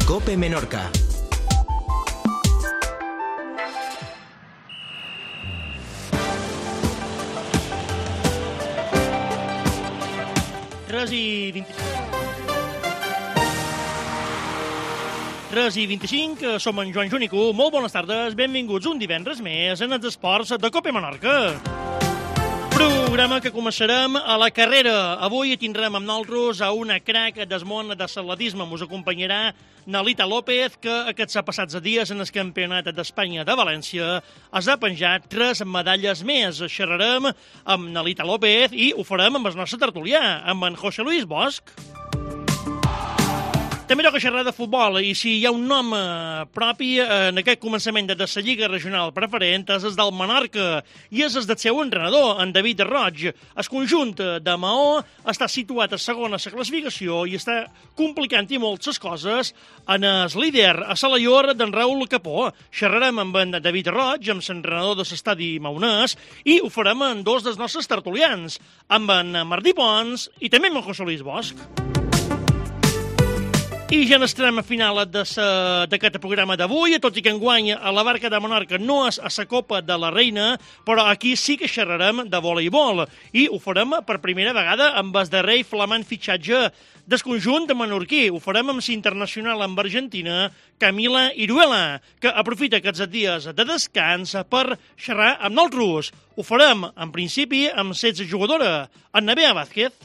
COPE Menorca. Tres i 25, som en Joan Junico. Molt bones tardes, benvinguts un divendres més en els esports de COPE Menorca. Programa que començarem a la carrera. Avui tindrem amb nosaltres a una crac del món de l'atletisme. Ens acompanyarà Nalita López, que aquests passats dies en el Campionat d'Espanya de València es ha penjat 3 medalles més. Xerrarem amb Nalita López i ho farem amb el nostre tertulià, amb en José Luis Bosch. També toca xerrar de futbol, i si hi ha un nom propi en aquest començament de la Lliga Regional Preferent és el del Menorca, i és el del seu entrenador, en David Roig. El conjunt de Maó està situat a segona la classificació i està complicant i molt les coses en el líder, a Salaior, d'en Raül Capó. Xerrarem amb en David Roig, amb l'entrenador de l'estadi maonès, i ho farem amb dos dels nostres tertulians, amb en Martí Pons i també amb en José Luis Bosch. I ja n'estarem a final d'aquest programa d'avui, tot i que enguany a la Barca de Menorca no és a la Copa de la Reina, però aquí sí que xerrarem de voleibol, i ho farem per primera vegada amb el darrer i flamant fitxatge del conjunt menorquí. Ho farem amb l'internacional amb Argentina, Camila Iruela, que aprofita aquests dies de descans per xerrar amb nosaltres. Ho farem, en principi, amb 16 jugadora, en Nevea Vázquez.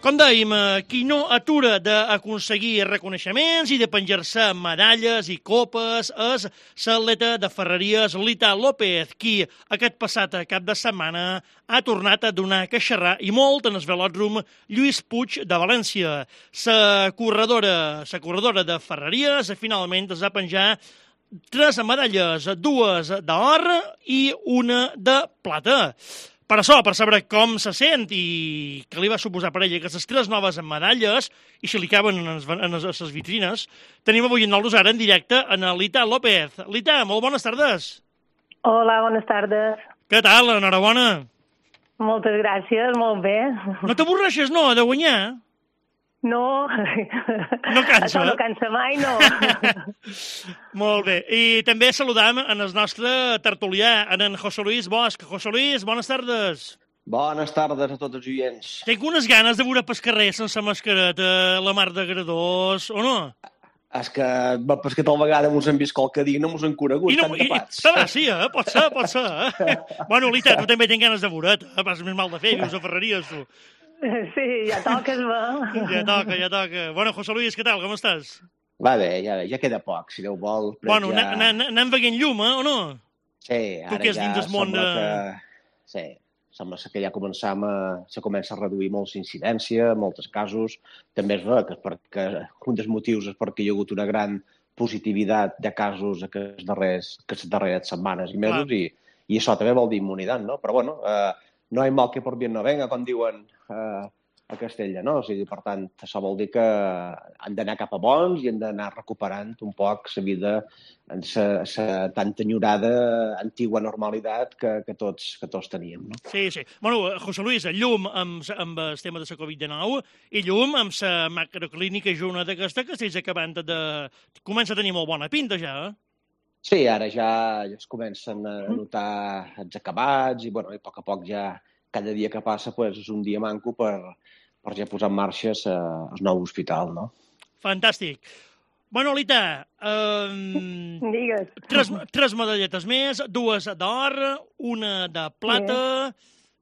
Com dèiem, qui no atura d'aconseguir reconeixements i de penjar-se medalles i copes és l'atleta de Ferreries, Lita López, qui aquest passat cap de setmana ha tornat a donar que xerrar i molt en el velòdrom Lluís Puig de València. La corredora de Ferreries finalment es va penjar 3 medalles, 2 d'or i 1 de plata. Per això, per saber com se sent i què li va suposar per ella aquestes 3 noves medalles, i si li caben en les vitrines, tenim avui en nosaltres ara en directe en Lita López. Lita, molt bones tardes. Hola, bones tardes. Què tal? Enhorabona. Moltes gràcies, molt bé. No t'avorreixes, no, de guanyar? No. No cansa. Això no cansa mai, no. Molt bé. I també saludam en el nostre tertulià, en José Luis Bosch. José Luis, bones tardes. Bones tardes a tots els oients. Tinc unes ganes de veure pel carrer sense mascareta, la mar d'agradors, o no? És que tal vegada mos han vist qualque dia, no mos han conegut, tan tapats. Sí, pot ser. Bueno, Lita, tu també tens ganes de veure't, pas més mal de fer, vius a Ferreries, tu. Sí, ja toca, es va. Ja toca. Bueno, José Luis, què tal, com estàs? Va bé, ja queda poc, si Déu vol. Bueno, anem veient llum, o no? Sí, ara ja sembla que... Sí, sembla que ja comença a reduir molt l'incidència, en molts casos. També és vera que un dels motius és perquè hi ha hagut una gran positivitat de casos aquestes darreres setmanes i mesos, i això també vol dir immunitat, no? Però bueno, no hay mal que por bien no venga, com diuen a Castella, no? O sigui, per tant, això vol dir que han d'anar cap a bons i han d'anar recuperant un poc la vida en la tan enyorada antigua normalitat que tots teníem, no? Sí. Bueno, José Luis, llum amb el tema de la Covid-19 i llum amb la macroclínica Juna d'aquesta que estàs acabant comença a tenir molt bona pinta ja, eh? Sí, ara ja es comencen a notar els acabats i, bueno, a poc ja cada dia que passa és un dia manco per ja posar en marxa el nou hospital, no? Fantàstic. Bueno, Lita, Digues. 3 medalletes més, 2 d'or, 1 de plata.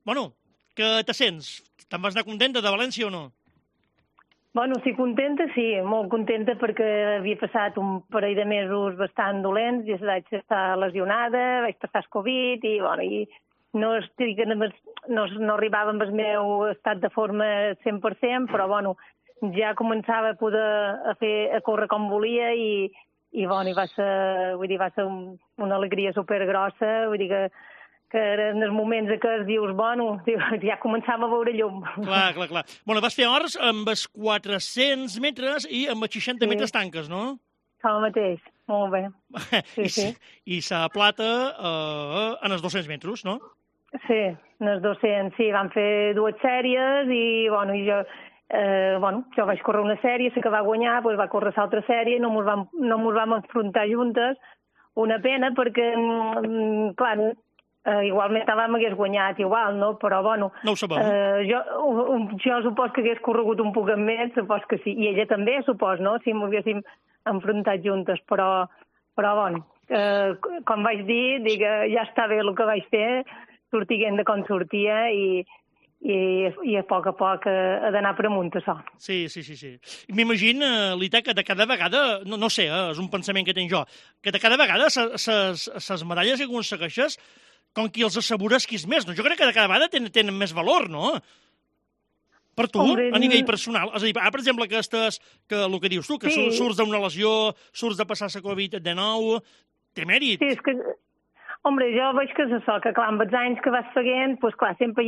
Bueno, què te sents? Te'n vas anar contenta de València o no? Bueno, sí, contenta, sí, molt contenta perquè havia passat un parell de mesos bastant dolents, i vaig estar lesionada, vaig passar el Covid i, bueno, i no arribava amb el meu estat de forma 100%, però, bueno, ja començava a poder a córrer com volia i bueno, va ser una alegria supergrossa, vull dir que en els moments que dius, bueno, ja començàvem a veure llum. Clar. Bueno, vas fer hores amb els 400 metres i amb els 60 metres tanques, no? El mateix, molt bé. Sí. I la plata en els 200 metres, no? Sí, en els 200, sí, vam fer 2 sèries i, bueno, jo vaig córrer una sèrie, sé que va guanyar, doncs va córrer l'altra sèrie, no mos vam enfrontar juntes. Una pena perquè, clar, igualment m'hagués guanyat igual, no? Però, bueno, No ho sabem. jo supos que hagués corregut un poc més, supos que sí. I ella també, supos, no? Si m'ho haguéssim enfrontat juntes. Però bueno, com vaig dir, ja està bé el que vaig fer, sortiguent de com sortia i a poc ha d'anar per amunt, això. Sí. M'imagino, Lita, que de cada vegada, no sé, és un pensament que tinc jo, que de cada vegada les medalles que aconsegueixes, com qui els assegures qui és més, no? Jo crec que de cada vegada tenen més valor, no? Per tu, a nivell personal. És a dir, per exemple, que el que dius tu, que surts d'una lesió, surts de passar la Covid-19, té mèrit. Sí, és que... Hombre, jo veig que és això, que clar, amb els anys que vas seguint, doncs clar, sempre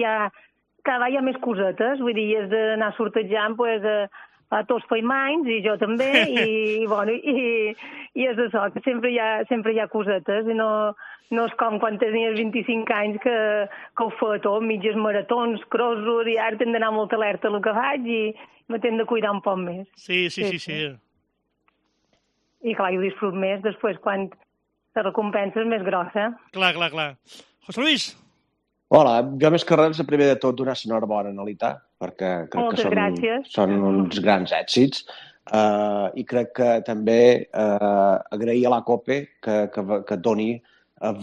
cada vegada hi ha més cosetes, vull dir, has d'anar sortejant, doncs, a tots feim anys, i jo també, i bueno, i és això, que sempre hi ha cosetes, i no és com quan tenies 25 anys que ho fa tot, mitges maratons, crossos, i ara t'hem d'anar molt alerta el que faig i me t'hem de cuidar un poc més. Sí. I clar, ho disfrut més després quan la recompensa és més grossa. Clar. José Luis? Hola, jo més que res, primer de tot, donar l'enhorabona a Nolita, perquè crec que són uns grans èxits. I crec que també agrair a la COPE que doni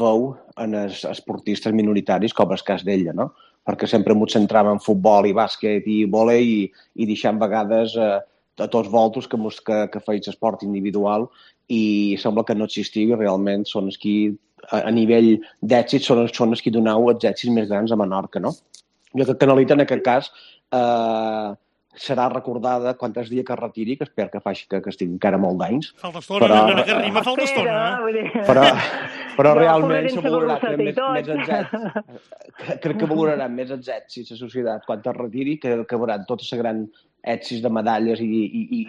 veu en els esportistes minoritaris, com el cas d'ella, no? Perquè sempre ens centràvem en futbol i bàsquet i vòlei i deixant vegades a tots voltos que feis esport individual i sembla que no existiu i realment són els qui a nivell d'èxit són els qui doneu els èxits més grans a Menorca, no? Jo crec que Nolita, en aquest cas, serà recordada quan es dia que es retiri, que espero que faci que estigui encara molt d'anys. Falta estona, que rima falta estona. Però realment se valorarà més els èxits. Crec que valoraran més els èxits a la societat quan es retiri, que veuran tots els grans èxits de medalles i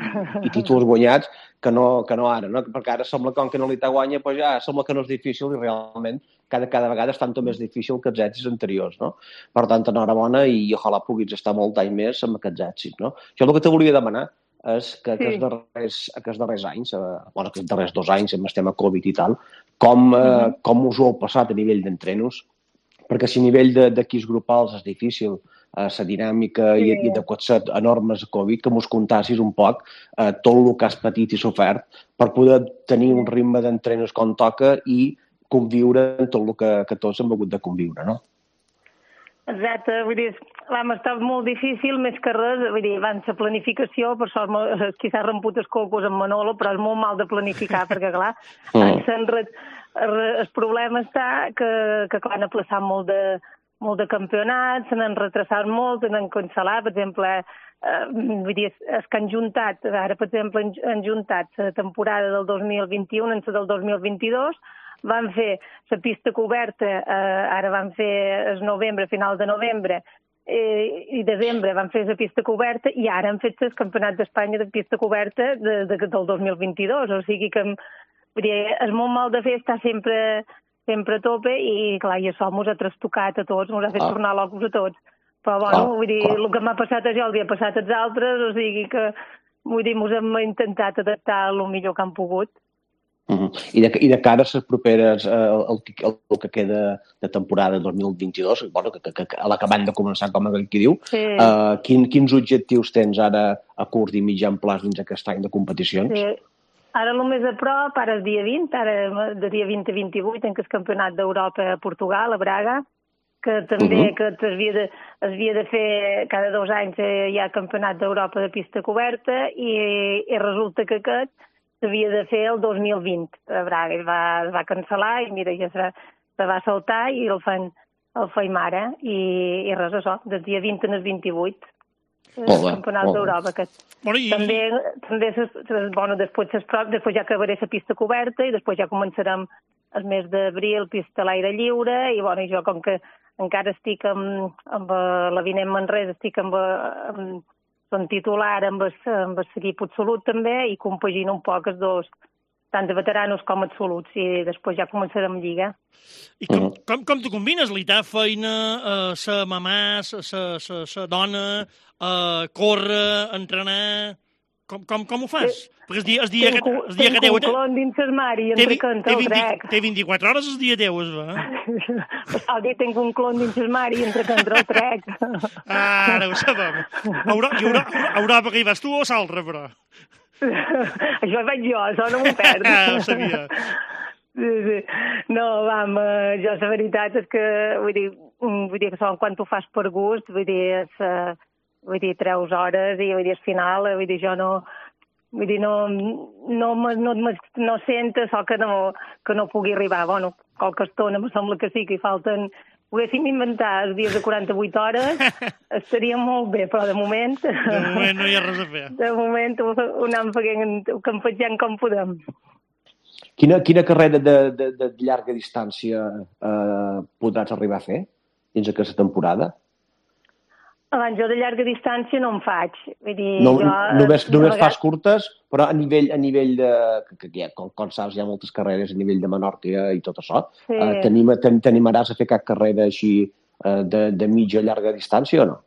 títols guanyats que no ara, no? Perquè ara sembla com que Nolita guanya, doncs ja sembla que no és difícil i realment cada vegada és tant o més difícil que els èxits anteriors, no? Per tant, enhorabona i ojalà puguis estar molt anys més amb aquests èxits, no? Jo el que te volia demanar és que aquests darrers anys, aquests darrers 2 anys amb el tema Covid i tal, com us ho heu passat a nivell d'entrenos? Perquè si a nivell d'equips grupals és difícil la dinàmica i de cotxet enormes a Covid, que mos contassis un poc tot el que has patit i sofert per poder tenir un ritme d'entrenos com toca i conviure en tot el que tots hem hagut de conviure, no? Exacte, vull dir, vam estar molt difícil, més que res, vull dir, abans la planificació, per sort qui s'ha remput els cocos amb Manolo, però és molt mal de planificar, perquè clar, el problema està que clar, han aplaçat molt de campionats, se n'han retrasat molt, se n'han cancel·lat, per exemple, vull dir, els que han juntat, ara per exemple han juntat la temporada del 2021 en la del 2022, van fer la pista coberta, ara van fer el novembre, final de novembre, i desembre van fer la pista coberta i ara han fet el campionat d'Espanya de pista coberta del 2022, o sigui que és molt mal de fer, està sempre a tope i clar, i això mos ha trastocat a tots, mos ha fet tornar locos a tots. Però bueno, vull dir, el que m'ha passat a jo el dia passat als altres, o sigui que, vull dir, mos hem intentat adaptar el millor que han pogut. I de cara a les properes, el que queda de temporada 2022, bueno, que a l'acabant de començar, com aquell qui diu, quins objectius tens ara a curt i mitjan plaç dins aquest any de competicions? Sí. Ara el més a prop, ara és dia 20, ara de dia 20 a 28, en el Campionat d'Europa a Portugal, a Braga, que també que es havia de fer cada 2 anys hi ha Campionat d'Europa de pista coberta i resulta que aquest s'havia de fer el 2020 a Braga. Es va cancel·lar i mira, ja se va saltar i el feim ara. I res, això, del dia 20 al 28. El Campionat d'Europa. També després ja acabaré la pista coberta i després ja començarem el mes d'abril pista a l'aire lliure i jo com que encara estic amb l'Avinent Manresa, estic som titular amb l'equip absolut també i compagino un poc els tant de veteranos com absoluts, i després ja començarem Lliga. I com tu combines l'ITA, feina, ser mamà, ser dona, córrer, entrenar... Com ho fas? Perquè el dia que teu... Tinc un clon dins l'armari, entre que entra el trec. Té 24 hores el dia teu, es va? El dia tinc un clon dins l'armari, entre que entra el trec. Ara ho sabem. A Europa que hi vas tu o s'altre, però? Això vaig jo, això no m'ho perdo. Ho sabia. Sí. No, jo la veritat és que, vull dir que quan tu fas per gust, treus hores i al final, jo no sento això que no pugui arribar. Bueno, qualque estona em sembla que sí, que hi falten... Poguéssim inventar els dies de 48 hores, estaria molt bé, però de moment... De moment no hi ha res a fer. De moment ho anem campejant com podem. Quina carrera de llarga distància podràs arribar a fer dins aquesta temporada? Jo de llarga distància no en faig. Vull dir, només fas curtes, però a nivell de... Com saps, hi ha moltes carreres a nivell de Menorca i tot això. Sí. T'animaràs a fer cap carrera així de mitja llarga distància o no?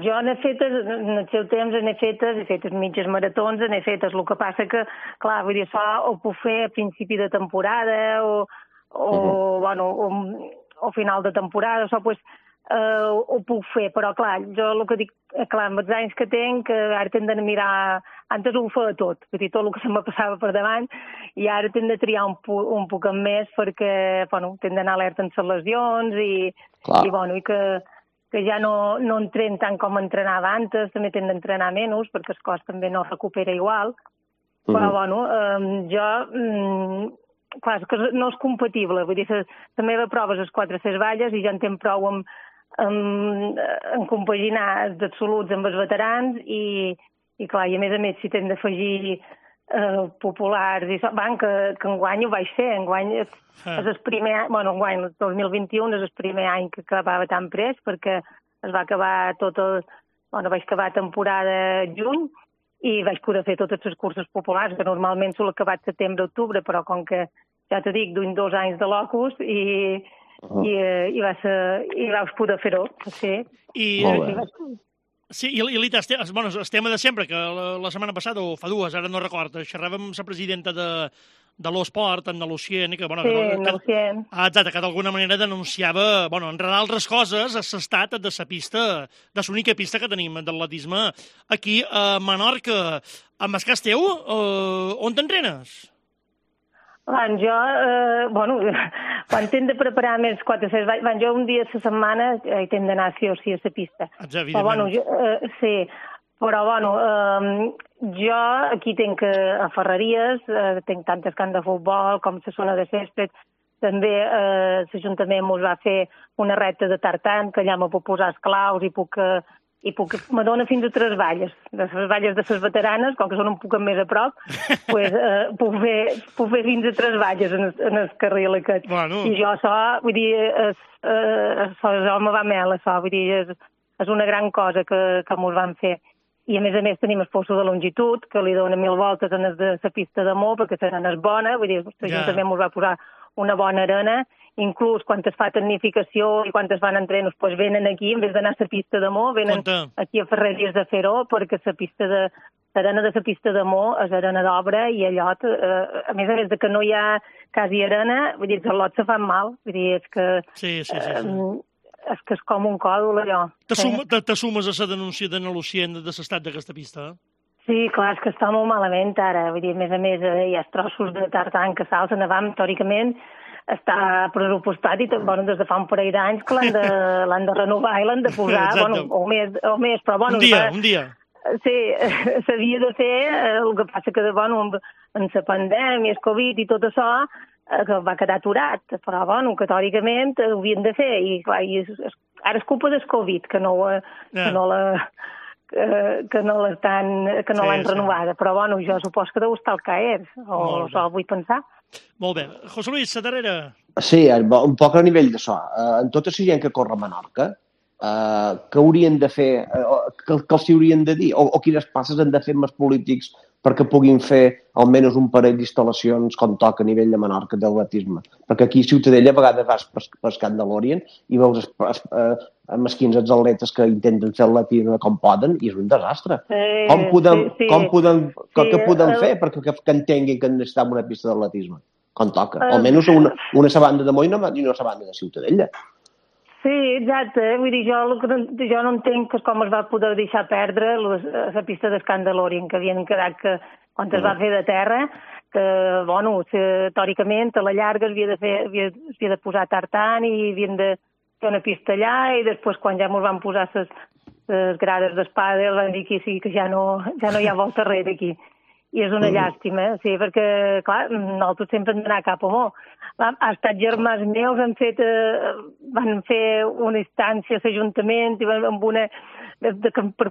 Jo n'he fetes, en el seu temps he fetes mitges maratons, n'he fetes. El que passa que, clar, vull dir, això ho puc fer a principi de temporada o final de temporada, això, doncs, ho puc fer, però clar, jo el que dic, clar, amb els anys que tinc, ara tinc de mirar, antes ho feia tot, vull dir, tot el que se me passava per davant, i ara tinc de triar un poc més perquè, tinc d'anar alerta en les lesions i que ja no entreno tant com entrenava antes, també tinc d'entrenar menys perquè el cos també no recupera igual, però clar, és que no és compatible, vull dir, la meva prova és 400 valles i ja en tinc prou en compaginar els absoluts amb els veterans i clar, i a més si t'hem d'afegir populars i això, que enguany ho vaig fer, enguany és el primer any, enguany el 2021 és el primer any que acabava tan pres perquè es va acabar vaig acabar temporada juny i vaig poder fer totes les curses populars, que normalment sol acabar setembre-octubre, però com que, ja t'ho dic, duim 2 anys de locus i vaig poder fer-ho, sí. Sí, i l'ITA, el tema de sempre, que la setmana passada, o fa 2, ara no recordo, xerràvem amb la presidenta de l'Esport, en Lucien, que d'alguna manera denunciava, entre d'altres coses, l'estat de la pista, de l'única pista que tenim d'atletisme aquí a Menorca. Amb el cas teu, on t'entrenes? Quan tinc de preparar més 400 valls, jo un dia a la setmana hi tinc d'anar sí o sí a la pista. Sí, però jo aquí tinc a Ferreries, tinc tantes camps de futbol com la zona de césped, també l'Ajuntament ens va fer una recta de tartan, que allà me puc posar esclaus me dona fins a 3 valles. De les valles de les veteranes, com que són un poc més a prop, puc fer fins a 3 valles en el carril aquest. I jo això, vull dir, això me va mel, això, vull dir, és una gran cosa que mos van fer. I a més tenim el poso de longitud, que li dona 1000 voltes en de la pista de Mó, perquè la arena és bona, vull dir, l'Ajuntament mos va posar una bona arena, inclús quan es fa tecnificació i quan es van entrenos, doncs venen aquí, en vez d'anar a la pista de Mó, venen aquí a Ferreries de fer-ho, perquè l'arena de la pista de Mó és arena d'obra i allò, a més de que no hi ha quasi arena, vull dir, els lots se fan mal, vull dir, és que... Sí. És que és com un còdol, allò. T'assumes a la denúncia de Lucien de l'estat d'aquesta pista? Sí, clar, és que està molt malament ara, vull dir, a més hi ha trossos de tartan que s'alcen avant, teòricament, està pressupostat i des de fa un parell d'anys que l'han de renovar i l'han de posar, o més, però Un dia. Sí, s'havia de fer, el que passa que, en la pandèmia, el Covid i tot això, que va quedar aturat, però, que teòricament ho havien de fer, i clar, ara és culpa del Covid, que no l'han renovada, però, jo suposo que deu estar al CAER, o això vull pensar. Molt bé. José Luis, la darrera. Sí, un poc a nivell d'això. En tota la gent que corre a Menorca, què haurien de fer, què els haurien de dir, o quines passes han de fer els polítics perquè puguin fer almenys un parell d'instal·lacions com toca a nivell de Menorca d'atletisme. Perquè aquí a Ciutadella a vegades vas per Scandalorian i veus mesquins atletes que intenten fer atletisme com poden i és un desastre. Què podem fer perquè que entenguin que necessitem una pista d'atletisme? Com toca. Almenys una sabanda de Moina i una sabanda de Ciutadella. Sí, exacte. Vull dir, jo no entenc com es va poder deixar perdre la pista d'Escandalorian, que havien quedat que, quan es va fer de terra, que, bueno, teòricament, a la llarga havia de posar tartan i havien de fer una pista allà i després, quan ja ens van posar les grades d'espada, van dir que sí, que ja no hi ha volta enrere aquí. I és una llàstima, sí, perquè, clar, nosaltres sempre hem d'anar cap a Mó. Ha estat germans meus, van fer una instància a l'Ajuntament per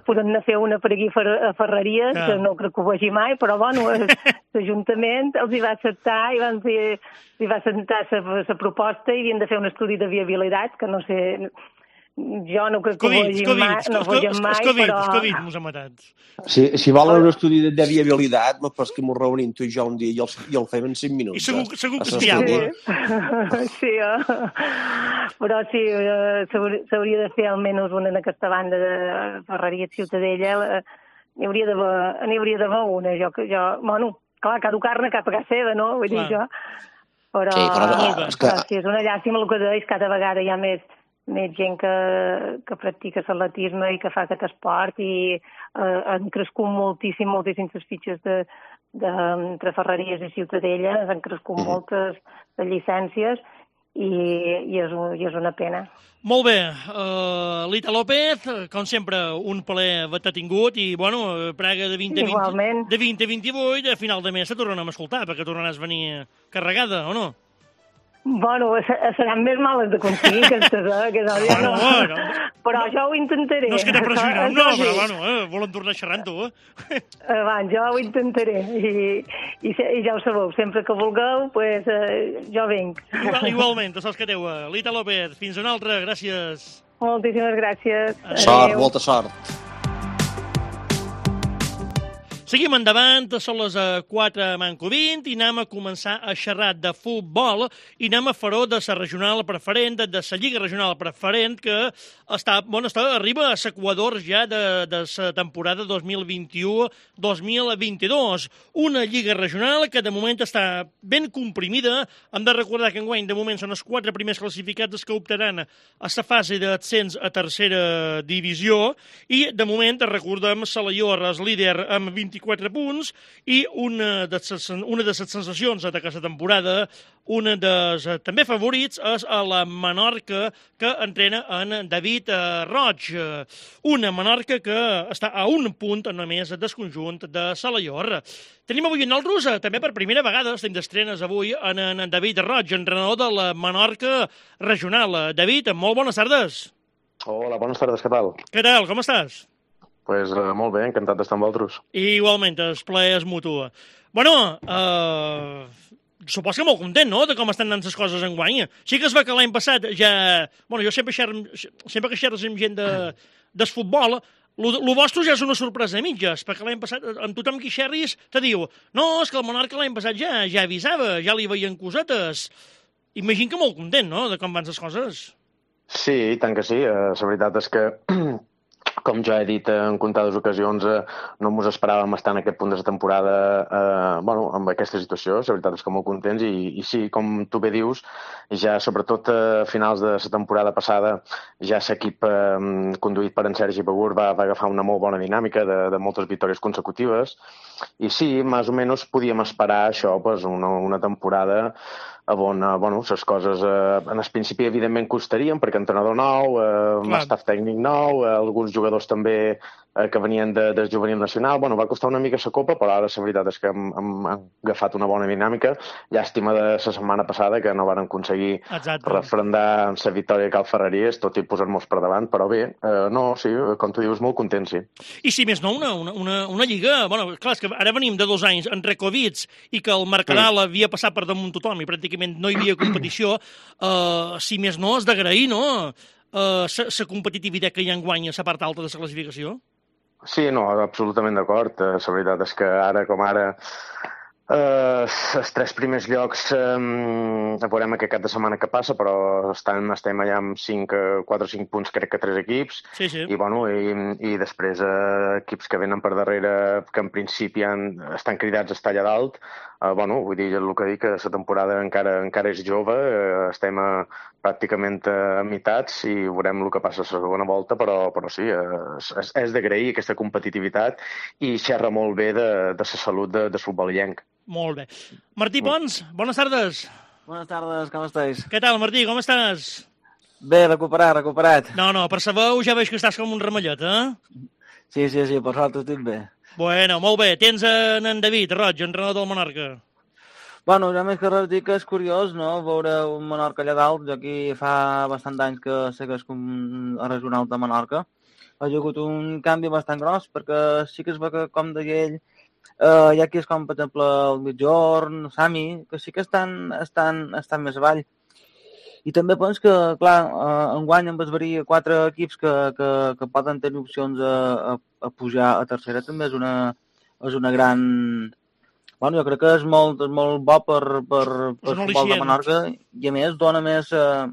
poder fer una per aquí a Ferreries, que no crec que ho vegi mai, però, bueno, l'Ajuntament els hi va acceptar i va acceptar la proposta i havien de fer un estudi de viabilitat, que no sé... Jo no crec que ho vegin mai, però... Covid mos ha matat. Si volen un estudi de viabilitat, pues que mos reunim tu i jo un dia i el fem en 5 minuts. I segur que és viable. Sí, però sí, s'hauria de fer almenys una en aquesta banda de Ferreria Ciutadella. N'hi hauria d'haver una. Bueno, clar, cada carne cap a casa seva, no? Vull dir jo. Però sí, és una llàstima el que deies, cada vegada hi ha més gent que practica l'atletisme i que fa aquest esport i han crescut moltíssimes fitxes entre Ferreries i Ciutadella, han crescut moltes de llicències i és una pena. Molt bé, Lita López, com sempre, un plaer haver-te tingut i, bueno, Praga de 2028, a final de mes se tornarem a escoltar, perquè tornaràs a venir carregada, o no? Bueno, seran més males de aconseguir aquestes, no. Però jo ho intentaré. No és que t'apressionem, no, però bueno, volen tornar xerrant tu, jo ho intentaré i ja ho sabeu, sempre que vulgueu, pues, jo vinc. Igualment, tu saps que teu, Lita López, fins una altra, gràcies. Moltíssimes gràcies. Sort, molta sort. Seguim endavant, són les 4:20 i anem a començar a xerrar de futbol i anem a fer-ho de la regional preferent, de la Lliga Regional Preferent, que arriba a l'equador ja de la temporada 2021-2022. Una Lliga Regional que de moment està ben comprimida. Hem de recordar que enguany de moment són els 4 primers classificats els que optaran a la fase d'ascens a tercera divisió i de moment recordem Salaior és líder amb 24 punts i una de les sensacions d'aquesta temporada, una dels també favorits és a la Menorca que entrena en David Roig. Una Menorca que està a un punt només del conjunt de Salaior. Tenim avui en nosaltres, també per primera vegada, estem d'estrenes avui en David Roig, entrenador de la Menorca regional. David, molt bones tardes. Hola, bones tardes, què tal? Què tal, com estàs? Pues molt bé, encantat d'estar amb vosaltres. Igualment, el plaer és mutu. Bueno, supos que molt content, no?, de com estan anant les coses enguany. Sí que es va que l'any passat ja... Bueno, jo sempre que xerres amb gent del futbol, el vostre ja és una sorpresa de mitges, perquè l'any passat, amb tothom qui xerris, te diu no, és que el Menorca l'any passat ja avisava, ja li veien cosetes. Imagino que molt content, no?, de com van les coses. Sí, tant que sí. La veritat és que com ja he dit en comptades ocasions, no ens esperàvem estar en aquest punt de la temporada amb aquesta situació. La veritat és que molt contents i sí, com tu bé dius, ja sobretot a finals de la temporada passada ja l'equip conduït per en Sergi Begur va agafar una molt bona dinàmica de moltes victòries consecutives i sí, més o menys podíem esperar això, una temporada on les coses en el principi evidentment costarien perquè entrenador nou, staff tècnic nou, alguns jugadors també que venien del juvenil nacional. Va costar una mica la copa, però ara la veritat és que hem agafat una bona dinàmica. Llàstima de la setmana passada que no varen aconseguir refrendar la victòria a Cal Ferreries, tot i posar-nos per davant, però bé, sí, com tu dius, molt content, sí. I si més no, una lliga... Clar, és que ara venim de 2 anys entre Covid i que el Mercadal havia passat per damunt tothom i pràcticament no hi havia competició, si més no, és d'agrair, no?, la competitivitat que hi ha enguany a la part alta de la classificació? Sí, no, absolutament d'acord. La veritat és que ara com ara els tres primers llocs veurem aquest cap de setmana que passa, però estem allà amb 4 o 5 punts, crec que 3 equips, Sí, sí. i després equips que venen per darrere, que en principi estan cridats a estar allà dalt. Vull dir, el que dic, que la temporada encara és jove, estem pràcticament a meitats i veurem el que passa a la segona volta, però sí, és d'agrair aquesta competitivitat i xerra molt bé de la salut del futbol illenc. Molt bé. Martí Pons, bones tardes. Buenas tardes, com estáis? Què tal, Martí, com estàs? Bé, recuperat. No, per sa veu ja veig que estàs com un ramallot, eh? Sí, per sort estic bé. Bueno, molt bé. Tens en David Roig, entrenador del Menorca. Bueno, ja més que res dir que és curiós, no?, veure un Menorca allà dalt. Jo aquí fa bastant d'anys que sé que és com a regional de Menorca. Ha hagut un canvi bastant gros, perquè sí que es veu que, com deia ell, hi ha qui és com, per exemple, el Migjorn, Sami, que sí que estan més avall. I també penso que, clar, enguany en Besverí 4 equips que poden tenir opcions a pujar a tercera també és una gran... Bueno, jo crec que és molt bo per futbol de Menorca i, a més, dona més la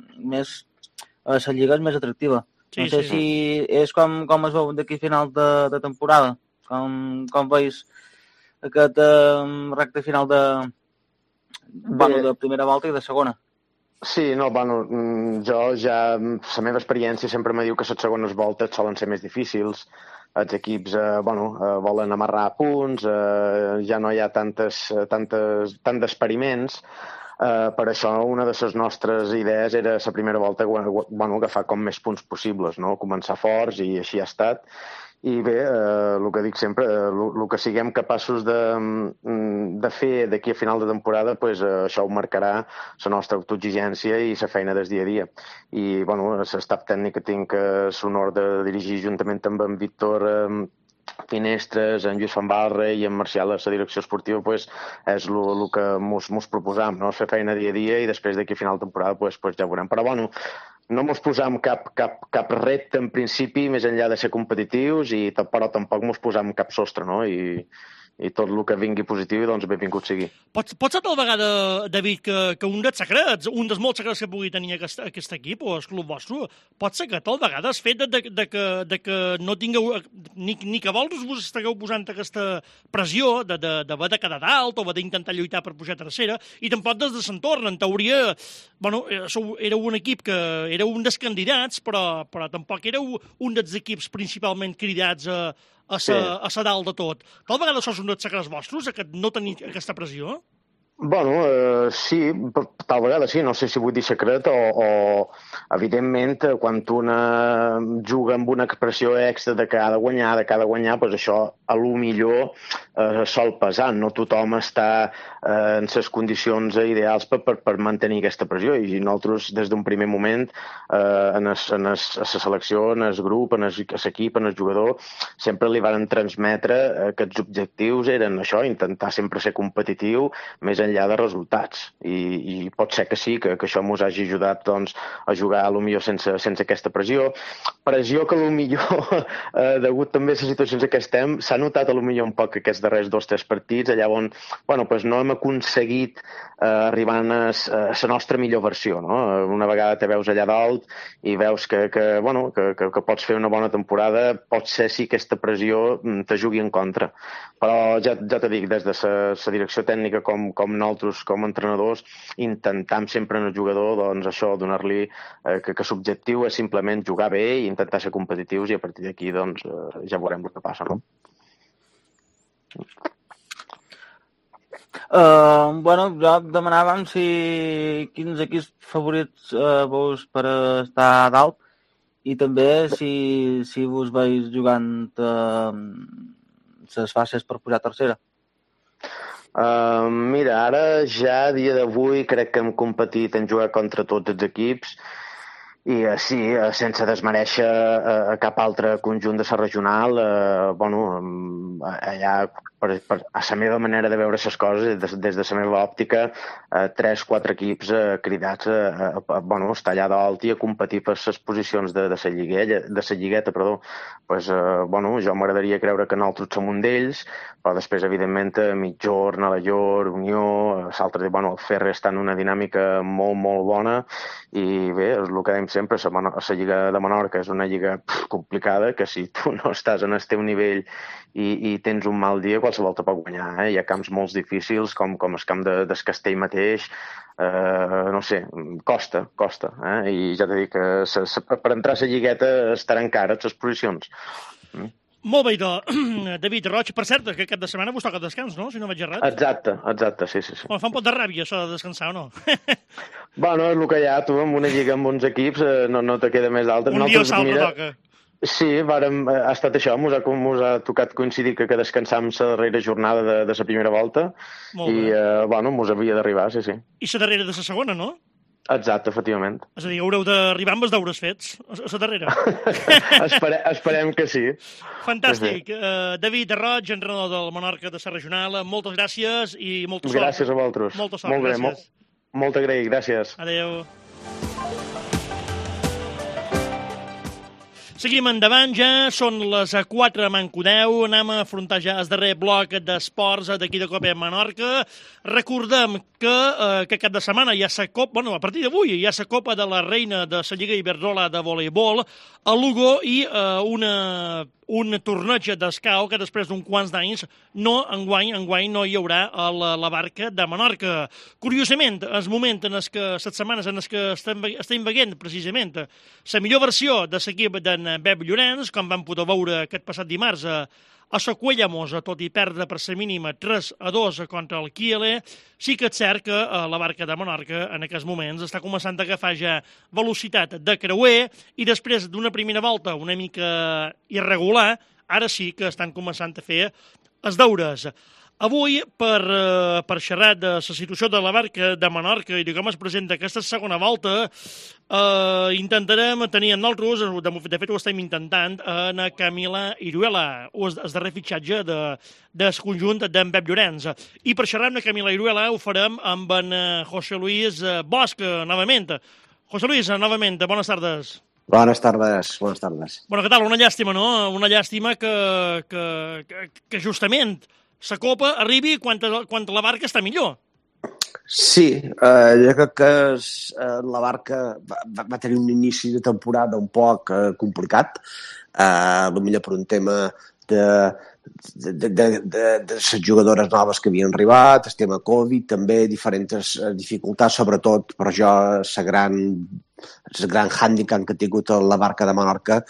lliga és més atractiva. Sí, no sé si és com es veu d'aquí final de temporada, com veus aquest recte final de primera volta i de segona. Sí, no, jo ja, la meva experiència sempre me diu que les segones voltes solen ser més difícils. Els equips volen amarrar punts, ja no hi ha tant d'experiments. Per això una de les nostres idees era la primera volta agafar com més punts possibles, no? Començar forts i així ha estat. I bé, el que dic sempre, el que siguem capaços de fer d'aquí a final de temporada, pues, això ho marcarà la nostra autoexigència i la feina del dia a dia. I l'estaf tècnic que tinc l'honor de dirigir juntament amb en Víctor Finestres, en Lluís Fambarra i en Marcial a la direcció esportiva, pues, és el que mos proposam, no? Fer feina dia a dia i després d'aquí a final de temporada pues, ja veurem. Però no mos posam cap repte en principi més enllà de ser competitius, però tampoc mos posam cap sostre, no? I tot el que vingui positiu, doncs benvingut sigui. Pot ser tal vegada, David, que un dels secrets, un dels molts secrets que pugui tenir aquest equip o el club vostre, pot ser que tal vegada el fet de que no tingueu, ni que vols vos estigueu posant aquesta pressió d'haver de quedar dalt o d'intentar lluitar per pujar a tercera, i tampoc des de l'entorn. En teoria, éreu un equip que éreu un dels candidats, però tampoc éreu un dels equips principalment cridats a la dalt de tot. Tal vegada això és un dels secrets vostres, no tenir aquesta pressió? Sí, tal vegada sí, no sé si vull dir secret o evidentment, quan una juga amb una expressió extra de que ha de guanyar, doncs això a lo millor sol pesar. No tothom està en les condicions ideals per mantenir aquesta pressió, i nosaltres des d'un primer moment a la selecció, en el grup, en l'equip, en el jugador, sempre li van transmetre que els objectius eren això, intentar sempre ser competitiu, més enllà de resultats, i pot ser que sí, que això ens hagi ajudat doncs, a jugar a lo millor sense aquesta pressió que a lo millor degut també a les situacions en què estem s'ha notat a lo millor un poc aquests darrers 2 o 3 partits allà on no hem aconseguit arribar a la nostra millor versió, no? Una vegada te veus allà dalt i veus que pots fer una bona temporada, pot ser sí que aquesta pressió te jugui en contra, però ja te dic, des de la direcció tècnica com nosaltres com a entrenadors intentam sempre en el jugador doncs això, donar-li que l'objectiu és simplement jugar bé i intentar ser competitius, i a partir d'aquí doncs ja veurem el que passa, no? Jo demanàvem quins equips favorits veus per estar a dalt, i també si vos veus jugant les fases per pujar a tercera. Mira, ara ja a dia d'avui crec que hem competit en jugar contra tots els equips I sí, sense desmereixer cap altre conjunt de la regional, allà, a la meva manera de veure les coses, des de la meva òptica, 3-4 equips cridats a estar allà dalt i a competir per les posicions de la lligueta, perdó. Pues, jo m'agradaria creure que nosaltres som un d'ells, però després, evidentment, Migjorn, Alaior, Unió, l'altre dia, el Ferrer està en una dinàmica molt, molt bona, i bé, és el que dèiem sempre, la Lliga de Menorca és una lliga complicada, que si tu no estàs en el teu nivell i tens un mal dia, qualsevol te pot guanyar. Hi ha camps molt difícils, com el camp del Castell mateix, no sé, costa. I ja t'he dit que per entrar a la lligueta estaran cares les posicions. Molt bé, David Roig. Per cert, que cap de setmana vos toca descans, no? Si no vaig errat. Exacte, sí. Bueno, fa un pot de ràbia, això de descansar, o no? Bueno, és el que hi ha, tu, amb una lliga amb uns equips, no te queda més d'altres. Un dia o l'altre toca. Sí, ha estat això, mos ha tocat coincidir que descansam la darrera jornada de la primera volta, i, mos havia d'arribar, sí. I la darrera de la segona, no? Exacte, efectivament. És a dir, haureu d'arribar amb els deures fets, a la darrera. Esperem que sí. Fantàstic. Sí. David Roig, entrenador del Menorca de la regional, moltes gràcies i molta sort. Gràcies a vosaltres. Molta sort, molt bé, gràcies. Molt agraït, gràcies. Adéu. Seguim endavant ja, són les 4 manco 10, anem a afrontar ja el darrer bloc d'esports d'aquí de Copa Menorca. Recordem que cap de setmana hi ha la Copa, a partir d'avui hi ha la Copa de la Reina de la Lliga Iberdrola de voleibol a Lugo i un torneig d'escau que després d'un quants d'anys enguany no hi haurà a la barca de Menorca. Curiosament, el moment en les setmanes en les que estem veient precisament la millor versió de l'equip d'en Pep Llorenç, com vam poder veure aquest passat dimarts a la Cuellamosa, tot i perdre per la mínima 3-2 contra el Kiele, sí que és cert que la barca de Menorca en aquests moments està començant a agafar ja velocitat de creuer i després d'una primera volta una mica irregular, ara sí que estan començant a fer els deures. Avui, per xerrar de la situació de la barca de Menorca i de com es presenta aquesta segona volta, intentarem tenir amb nosaltres, de fet ho estem intentant, en Camila Iruela, el darrer fitxatge del conjunt d'en Pep Llorenç. I per xerrar amb Camila Iruela ho farem amb en José Luis Bosch, novament. José Luis, novament, bones tardes. Buenas tardes. Bueno, què tal? Una llàstima, no? Una llàstima que justament la Copa arribi quan la barca està millor. Sí, jo crec que la barca va tenir un inici de temporada un poc complicat, potser per un tema de les jugadores noves que havien arribat, el tema Covid, també diferents dificultats, sobretot per jo el gran hàndicap que ha tingut la barca de Menorca,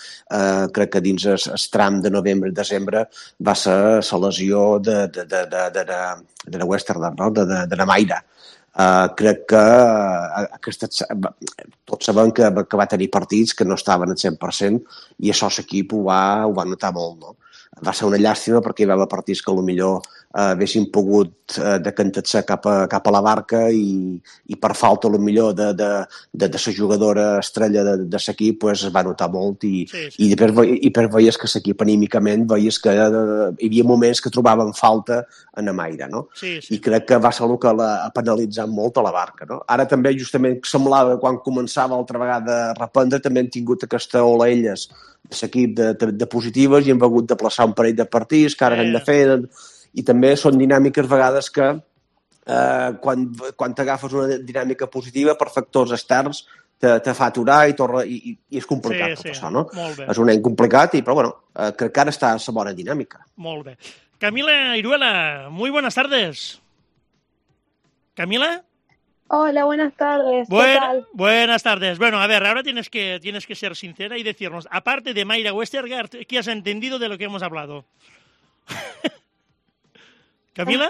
crec que dins el tram de novembre i desembre va ser la lesió de Westerner, no? de Namaira. Crec que tots sabem que va tenir partits que no estaven al 100% i això l'equip ho va notar molt, no? Va ser una llàstima perquè hi va haver partits que potser haguessin pogut decantar-se cap a la barca i per falta potser de la jugadora estrella de l'equip es va notar molt i després veies que l'equip anímicament veies que hi havia moments que trobaven falta en Amaira, no? Sí. I crec que va ser el que ha penalitzat molt a la barca, no? Ara també justament semblava quan començava altra vegada a reprendre també han tingut aquesta ola elles l'equip de positives i hem hagut de plaçar un parell de partits que ara hem de fer i també són dinàmiques vegades que quan t'agafes una dinàmica positiva per factors externs te fa aturar i és complicat tot això, no? És un any complicat però bueno, crec que ara està a la bona dinàmica. Molt bé. Camila Iruela, muy buenas tardes. ¿Camila? Hola, buenas tardes. ¿Qué tal? Buenas tardes. Bueno, a ver, ahora tienes que ser sincera y decirnos, aparte de Mayra Westergaard, ¿qué has entendido de lo que hemos hablado? ¿Camila?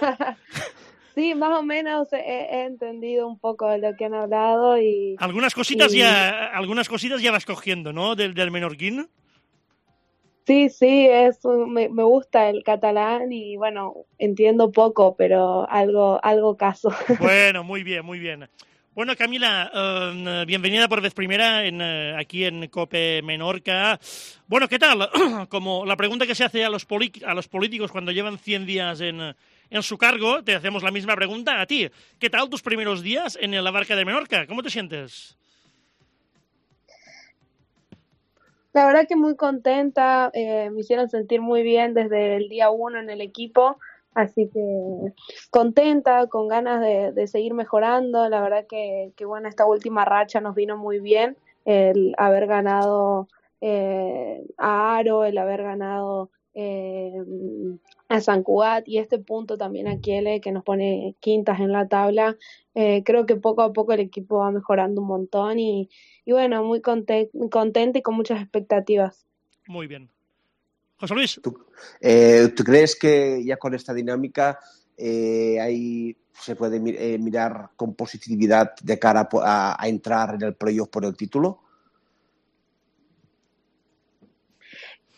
Sí, más o menos he entendido un poco de lo que han hablado y... Algunas cositas ya vas cogiendo, ¿no? Del menorquín. Sí, me gusta el catalán y bueno, entiendo poco, pero algo caso. Bueno, muy bien, muy bien. Bueno, Camila, bienvenida por vez primera aquí en COPE Menorca. Bueno, ¿qué tal? Como la pregunta que se hace a los políticos cuando llevan 100 días en su cargo, te hacemos la misma pregunta a ti. ¿Qué tal tus primeros días en la Barca de Menorca? ¿Cómo te sientes? La verdad que muy contenta, me hicieron sentir muy bien desde el día 1 en el equipo, así que contenta, con ganas de seguir mejorando. La verdad que bueno, esta última racha nos vino muy bien, el haber ganado a Aro, el haber ganado a San Cugat y este punto también a Kiele, que nos pone quintas en la tabla. Creo que poco a poco el equipo va mejorando un montón y bueno, muy contenta y con muchas expectativas. Muy bien. José Luis. ¿Tú crees que ya con esta dinámica ahí se puede mirar con positividad de cara a entrar en el playoff por el título?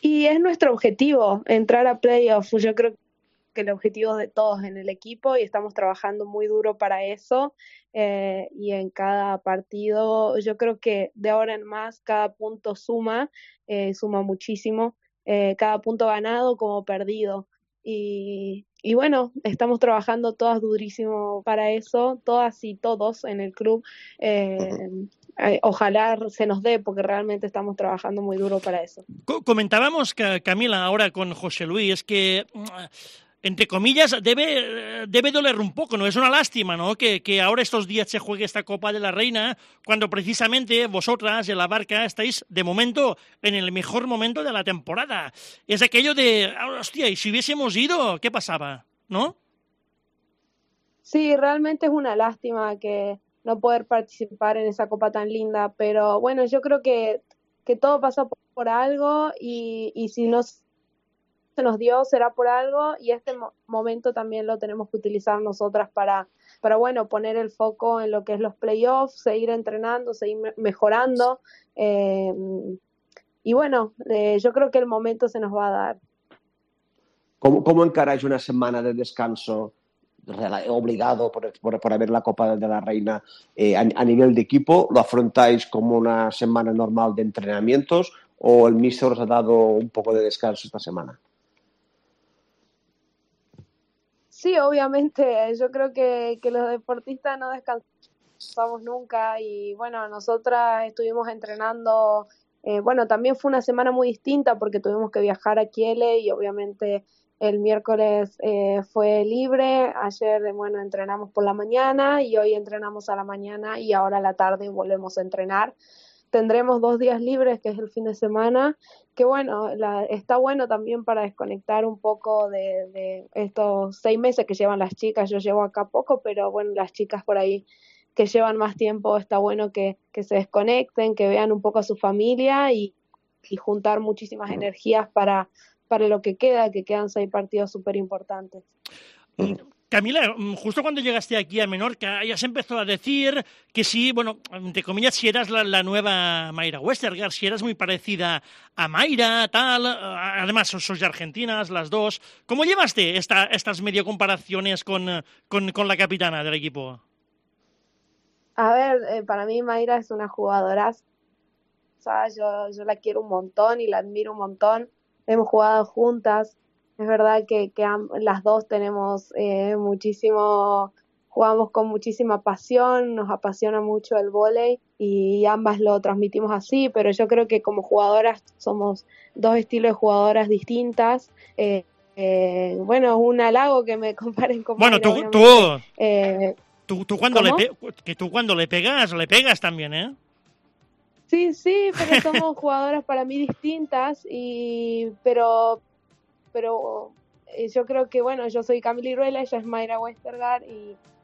Y es nuestro objetivo, entrar a playoffs. Yo creo que el objetivo de todos en el equipo y estamos trabajando muy duro para eso. Y en cada partido, yo creo que de ahora en más, cada punto suma muchísimo. Cada punto ganado como perdido. Y bueno, estamos trabajando todas durísimo para eso, todas y todos en el club. Ojalá se nos dé, porque realmente estamos trabajando muy duro para eso. Comentábamos, Camila, ahora con José Luis, que entre comillas, debe doler un poco, ¿no? Es una lástima, ¿no? Que ahora estos días se juegue esta Copa de la Reina, cuando precisamente vosotras en la Barca estáis, de momento, en el mejor momento de la temporada. Es aquello de, hostia, ¿y si hubiésemos ido? ¿Qué pasaba? ¿No? Sí, realmente es una lástima que no poder participar en esa Copa tan linda, pero bueno, yo creo que todo pasa por algo y si no se nos dio será por algo y este momento también lo tenemos que utilizar nosotras para bueno, poner el foco en lo que es los playoffs, seguir entrenando, seguir mejorando y bueno, yo creo que el momento se nos va a dar. ¿Cómo encaráis una semana de descanso obligado por haber la Copa de la Reina a nivel de equipo? ¿Lo afrontáis como una semana normal de entrenamientos o el míster os ha dado un poco de descanso esta semana? Sí, obviamente, yo creo que los deportistas no descansamos nunca y bueno, nosotras estuvimos entrenando, bueno, también fue una semana muy distinta porque tuvimos que viajar a Kiele y obviamente el miércoles fue libre, ayer, bueno, entrenamos por la mañana y hoy entrenamos a la mañana y ahora a la tarde volvemos a entrenar. Tendremos 2 días libres, que es el fin de semana, que bueno, está bueno también para desconectar un poco de estos 6 meses que llevan las chicas. Yo llevo acá poco, pero bueno, las chicas por ahí que llevan más tiempo, está bueno que se desconecten, que vean un poco a su familia y juntar muchísimas energías para lo que queda, que quedan 6 partidos súper importantes. Camila, justo cuando llegaste aquí a Menorca, ya se empezó a decir que sí, bueno, entre comillas, si eras la nueva Mayra Westergaard, si eras muy parecida a Mayra, tal, además sois argentinas las dos. ¿Cómo llevaste estas medio comparaciones con la capitana del equipo? A ver, para mí Mayra es una jugadora, yo la quiero un montón y la admiro un montón. Hemos jugado juntas. Es verdad que las dos tenemos jugamos con muchísima pasión, nos apasiona mucho el vóley y ambas lo transmitimos así, pero yo creo que como jugadoras somos 2 estilos de jugadoras distintas. Bueno, es un halago que me comparen con Bueno, Mayra, tú cuando le pegas también, ¿eh? Sí, pero somos jugadoras para mí distintas, pero yo creo que, bueno, yo soy Camila Iruela, ella es Mayra Westergaard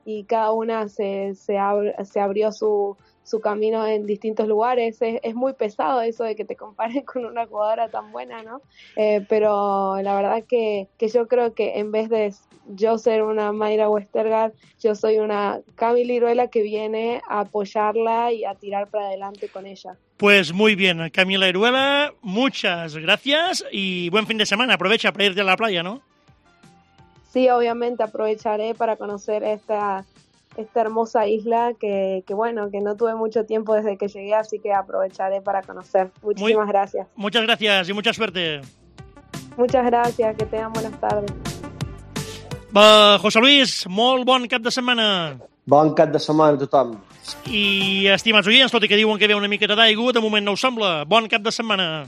y cada una se abrió su camino en distintos lugares. Es muy pesado eso de que te comparen con una jugadora tan buena, ¿no? Pero la verdad que yo creo que en vez de yo ser una Mayra Westergaard, yo soy una Camila Iruela que viene a apoyarla y a tirar para adelante con ella. Pues muy bien, Camila Iruela, muchas gracias y buen fin de semana. Aprovecha para irte a la playa, ¿no? Sí, obviamente aprovecharé para conocer esta esta hermosa isla que bueno, que no tuve mucho tiempo desde que llegué, así que aprovecharé para conocer. Muchísimas gracias. Muchas gracias y mucha suerte. Muchas gracias, que tengan buenas tardes. José Luis, molt bon cap de setmana. Bon cap de setmana a tothom. I, estimats oients, tot i que diuen que ve una miqueta d'aigua, de moment no ho sembla. Bon cap de setmana.